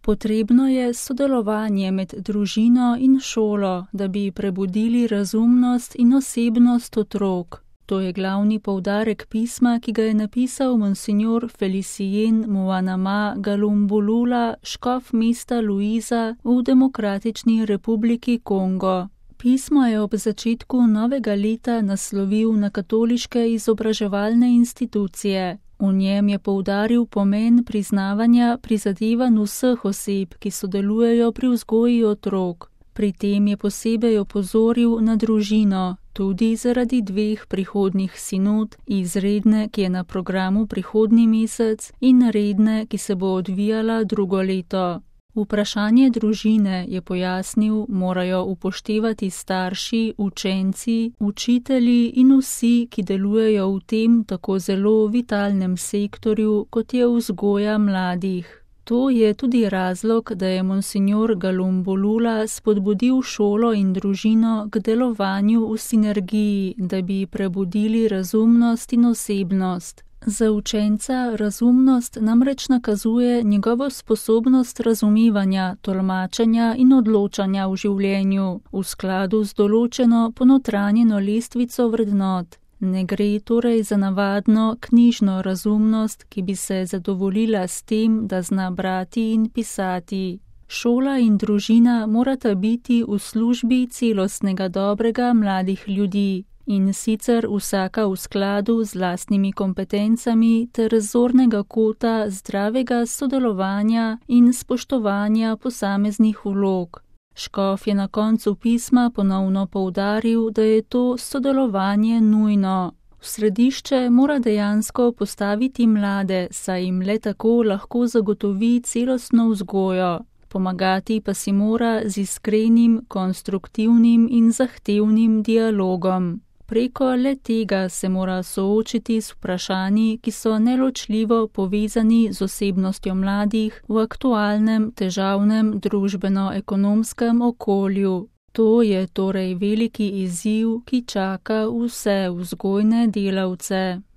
Potrebno je sodelovanje med družino in šolo, da bi prebudili razumnost in osebnost otrok. To je glavni poudarek pisma, ki ga je napisal monsignor Felicien Muanama Galumbulula, škof mesta Luiza v Demokratični republiki Kongo. Pismo je ob začetku novega leta naslovil na katoliške izobraževalne institucije. V njem je poudaril pomen priznavanja prizadevanj vseh oseb, ki sodelujejo pri vzgoji otrok. Pri tem je posebej opozoril na družino, tudi zaradi 2 prihodnjih sinod, izredne, ki je na programu prihodnji mesec, in redne, ki se bo odvijala drugo leto. Vprašanje družine, je pojasnil, morajo upoštevati starši, učenci, učitelji in vsi, ki delujejo v tem tako zelo vitalnem sektorju, kot je vzgoja mladih. To je tudi razlog, da je monsignor Galumbulula spodbudil šolo in družino k delovanju v sinergiji, da bi prebudili razumnost in osebnost. Za učenca razumnost namreč nakazuje njegovo sposobnost razumevanja, tolmačenja in odločanja v življenju, v skladu z določeno ponotranjeno lestvico vrednot. Ne gre torej za navadno knjižno razumnost, ki bi se zadovoljila s tem, da zna brati in pisati. Šola in družina morata biti v službi celostnega dobrega mladih ljudi. In sicer vsaka v skladu z lastnimi kompetencami ter zornega kota zdravega sodelovanja in spoštovanja posameznih vlog. Škof je na koncu pisma ponovno poudaril, da je to sodelovanje nujno. V središče mora dejansko postaviti mlade, saj jim le tako lahko zagotovi celostno vzgojo. Pomagati pa si mora z iskrenim, konstruktivnim in zahtevnim dialogom. Preko le tega se mora soočiti s vprašanji, ki so neločljivo povezani z osebnostjo mladih v aktualnem, težavnem družbeno-ekonomskem okolju. To je torej veliki izziv, ki čaka vse vzgojne delavce.